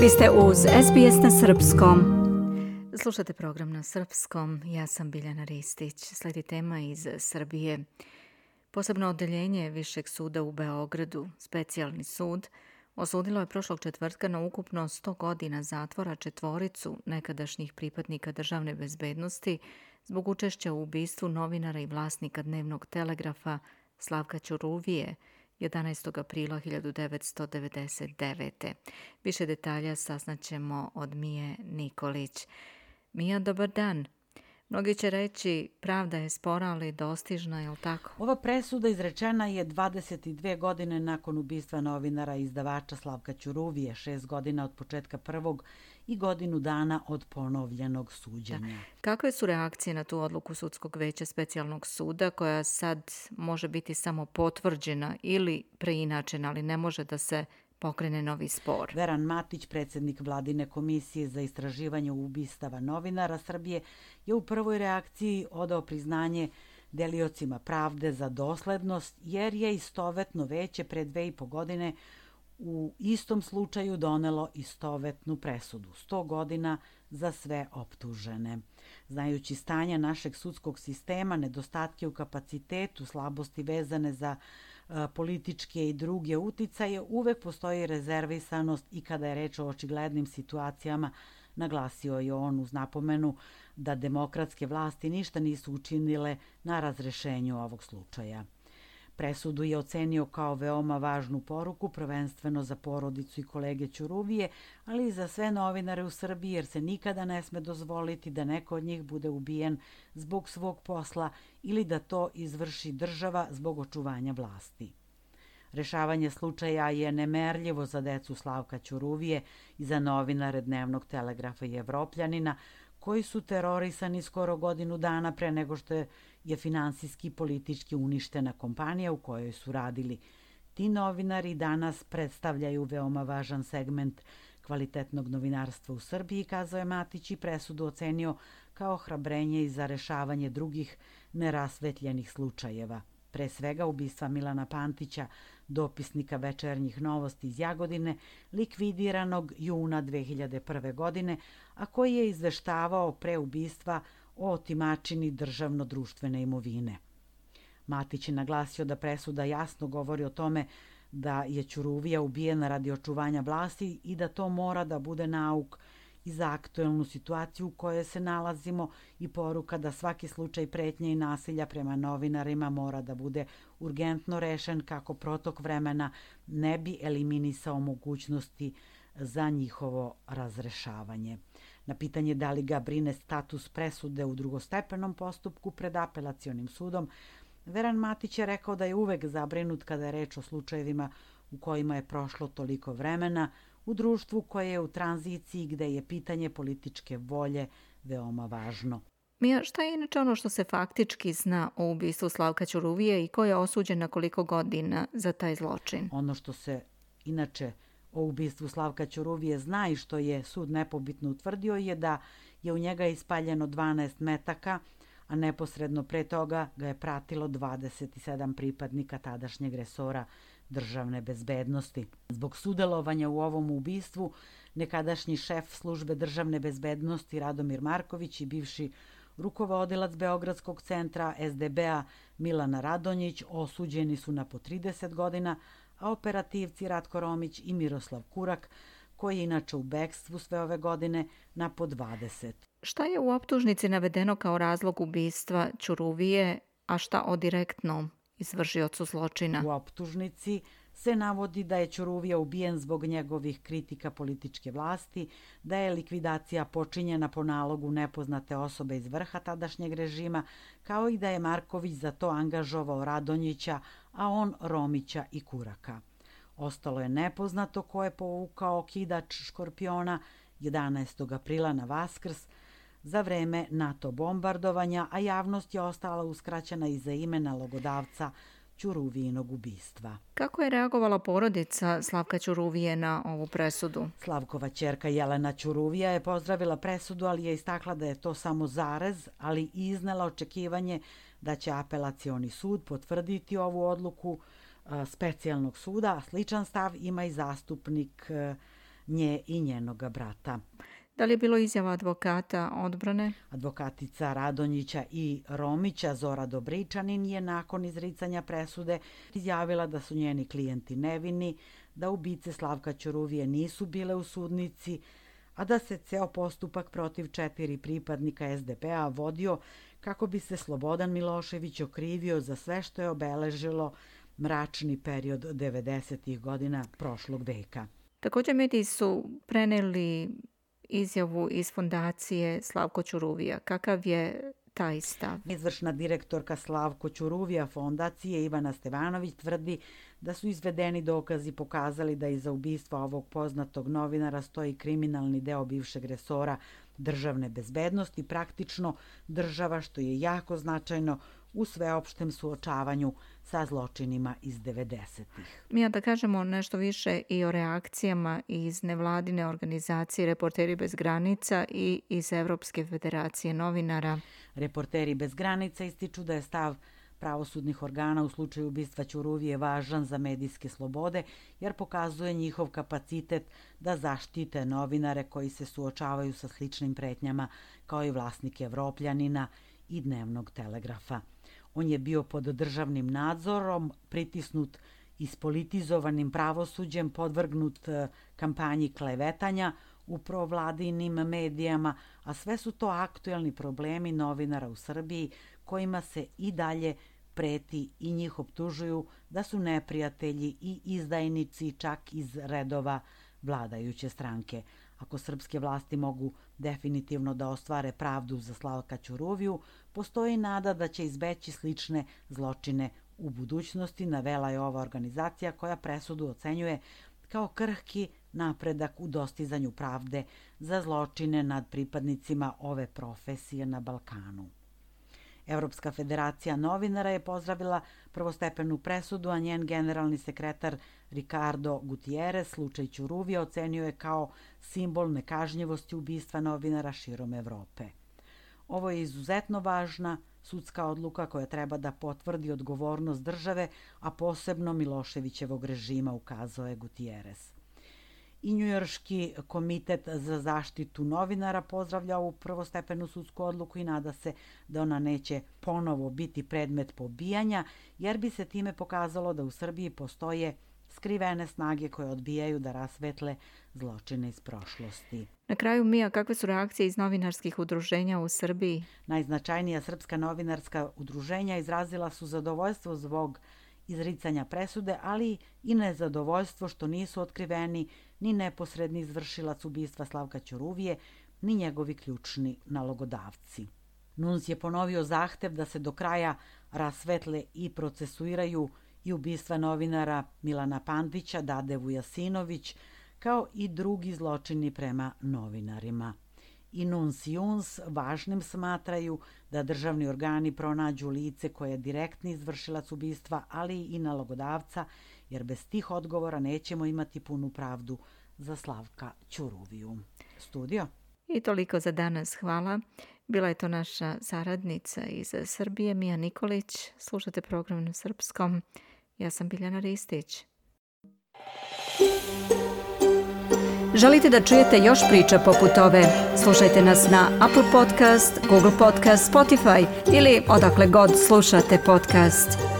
Vi ste uz SBS na Srpskom. Slušate program na Srpskom. Ja sam Biljana Ristić. Slijedi tema iz Srbije. Posebno odeljenje Višeg suda u Beogradu, specijalni sud, osudilo je prošlog četvrtka na ukupno 100 godina zatvora četvoricu nekadašnjih pripadnika državne bezbednosti zbog učešća u ubistvu novinara i vlasnika dnevnog telegrafa Slavka Ćuruvije 11. aprila 1999. Više detalja saznaćemo od Mije Nikolić. Mija, dobar dan. Mnogi će reći pravda je spora, ali dostižna, je li tako? Ova presuda izrečena je 22 godine nakon ubistva novinara i izdavača Slavka Ćuruvije, 6 godina od početka prvog i godinu dana od ponovljenog suđenja. Kakve su reakcije na tu odluku Sudskog veća specijalnog suda, koja sad može biti samo potvrđena ili preinačena, ali ne može da se pokrene novi spor? Veran Matić, predsjednik Vladine komisije za istraživanje ubistava novinara Srbije, je u prvoj reakciji odao priznanje deliocima pravde za doslednost, jer je istovetno veće pre 2,5 godine u istom slučaju donelo istovetnu presudu, 100 godina za sve optužene. Znajući stanje našeg sudskog sistema, nedostatke u kapacitetu, slabosti vezane za političke i druge uticaje, uvek postoji rezervisanost i kada je reč o očiglednim situacijama, naglasio je on uz napomenu da demokratske vlasti ništa nisu učinile na razrešenju ovog slučaja. Presudu je ocenio kao veoma važnu poruku, prvenstveno za porodicu i kolege Ćuruvije, ali i za sve novinare u Srbiji, jer se nikada ne sme dozvoliti da neko od njih bude ubijen zbog svog posla ili da to izvrši država zbog očuvanja vlasti. Rešavanje slučaja je nemerljivo za decu Slavka Ćuruvije i za novinare Dnevnog telegrafa i Evropljanina, koji su terorisani skoro godinu dana pre nego što je finansijski i politički uništena kompanija u kojoj su radili. Ti novinari danas predstavljaju veoma važan segment kvalitetnog novinarstva u Srbiji, kazao je Matić, i presudu ocenio kao hrabrenje i za rešavanje drugih nerasvetljenih slučajeva. Pre svega ubistva Milana Pantića, dopisnika Večernjih novosti iz Jagodine, likvidiranog juna 2001. godine, a koji je izveštavao pre ubistva o otimačini državno-društvene imovine. Matić je naglasio da presuda jasno govori o tome da je Ćuruvija ubijena radi očuvanja vlasti i da to mora da bude nauk i za aktuelnu situaciju u kojoj se nalazimo i poruka da svaki slučaj pretnje i nasilja prema novinarima mora da bude urgentno rešen kako protok vremena ne bi eliminisao mogućnosti za njihovo razrešavanje. Na pitanje da li ga brine status presude u drugostepenom postupku pred apelacionim sudom, Veran Matić je rekao da je uvek zabrinut kada je reč o slučajevima u kojima je prošlo toliko vremena, u društvu koje je u tranziciji gde je pitanje političke volje veoma važno. Mija, šta je inače ono što se faktički zna o ubistvu Slavka Ćuruvije i ko je osuđen na koliko godina za taj zločin? Ono što se inače o ubistvu Slavka Ćuruvije zna i što je sud nepobitno utvrdio je da je u njega ispaljeno 12 metaka, a neposredno pre toga ga je pratilo 27 pripadnika tadašnjeg resora državne bezbednosti. Zbog sudelovanja u ovom ubistvu, nekadašnji šef službe državne bezbednosti Radomir Marković i bivši rukovodilac Beogradskog centra SDB-a Milana Radonjić osuđeni su na po 30 godina, a operativci Ratko Romić i Miroslav Kurak, koji je inače u bekstvu sve ove godine, na po 20. Šta je u optužnici navedeno kao razlog ubistva Ćuruvije, a šta o direktnom izvršiocu zločina? U optužnici se navodi da je Ćuruvija ubijen zbog njegovih kritika političke vlasti, da je likvidacija počinjena po nalogu nepoznate osobe iz vrha tadašnjeg režima, kao i da je Marković za to angažovao Radonjića, a on Romića i Kuraka. Ostalo je nepoznato ko je povukao kidač Škorpiona 11. aprila na Vaskrs za vreme NATO bombardovanja, a javnost je ostala uskraćena i za ime nalogodavca Ćuruvijinog ubistva. Kako je reagovala porodica Slavka Ćuruvije na ovu presudu? Slavkova ćerka Jelena Ćuruvija je pozdravila presudu, ali je istakla da je to samo zarez, ali i iznela očekivanje da će apelacioni sud potvrditi ovu odluku specijalnog suda. Sličan stav ima i zastupnik nje i njenoga brata. Da li je bilo izjava advokata odbrane? Advokatica Radonjića i Romića Zora Dobričanin je nakon izricanja presude izjavila da su njeni klijenti nevini, da ubice Slavka Ćuruvije nisu bile u sudnici, a da se ceo postupak protiv 4 pripadnika SDP-a vodio kako bi se Slobodan Milošević okrivio za sve što je obeležilo mračni period 90. godina prošlog veka. Također mediji su preneli izjavu iz fondacije Slavko Ćuruvija. Kakav je taj stav? Izvršna direktorka Slavko Ćuruvija fondacije Ivana Stevanović tvrdi da su izvedeni dokazi pokazali da iza ubistva ovog poznatog novinara stoji kriminalni deo bivšeg resora državne bezbednosti, praktično država, što je jako značajno u sveopštem suočavanju sa zločinima iz 90-ih. Mija, da kažemo nešto više i o reakcijama iz nevladine organizacije Reporteri bez granica i iz Evropske federacije novinara. Reporteri bez granica ističu da je stav pravosudnih organa u slučaju ubistva Ćuruvije važan za medijske slobode, jer pokazuje njihov kapacitet da zaštite novinare koji se suočavaju sa sličnim pretnjama kao i vlasnik Evropljanina i Dnevnog telegrafa. On je bio pod državnim nadzorom, pritisnut ispolitizovanim pravosuđem, podvrgnut kampanji klevetanja u provladinim medijama, a sve su to aktuelni problemi novinara u Srbiji kojima se i dalje preti i njih optužuju da su neprijatelji i izdajnici čak iz redova vladajuće stranke. Ako srpske vlasti mogu definitivno da ostvare pravdu za Slavka Ćuruviju, postoji nada da će izbeći slične zločine u budućnosti, navela je ova organizacija koja presudu ocenjuje kao krhki napredak u dostizanju pravde za zločine nad pripadnicima ove profesije na Balkanu. Evropska federacija novinara je pozdravila prvostepenu presudu, a njen generalni sekretar Ricardo Gutierrez slučaj Ćuruvija ocenio je kao simbol nekažnjivosti ubistva novinara širom Evrope. Ovo je izuzetno važna sudska odluka koja treba da potvrdi odgovornost države, a posebno Miloševićevog režima, ukazao je Gutierrez. I Njujorški komitet za zaštitu novinara pozdravlja ovu prvostepenu sudsku odluku i nada se da ona neće ponovo biti predmet pobijanja, jer bi se time pokazalo da u Srbiji postoje skrivene snage koje odbijaju da rasvetle zločine iz prošlosti. Na kraju, Mija, kakve su reakcije iz novinarskih udruženja u Srbiji? Najznačajnija srpska novinarska udruženja izrazila su zadovoljstvo zbog izricanja presude, ali i nezadovoljstvo što nisu otkriveni ni neposredni izvršilac ubistva Slavka Ćuruvije, ni njegovi ključni nalogodavci. NUNS je ponovio zahtev da se do kraja rasvetle i procesuiraju i ubistva novinara Milana Pandića, Dade Vujasinović, kao i drugi zločini prema novinarima. I NUNS i UNS važnim smatraju da državni organi pronađu lice koje je direktni izvršilac ubistva, ali i nalogodavca, jer bez tih odgovora nećemo imati punu pravdu za Slavka Ćuruviju. Studio. I toliko za danas. Hvala. Bila je to naša saradnica iz Srbije, Mija Nikolić. Slušate program na srpskom. Ja sam Biljana Ristić. Želite da čujete još priča poput ove? Slušajte nas na Apple Podcast, Google Podcast, Spotify ili odakle god slušate podcast.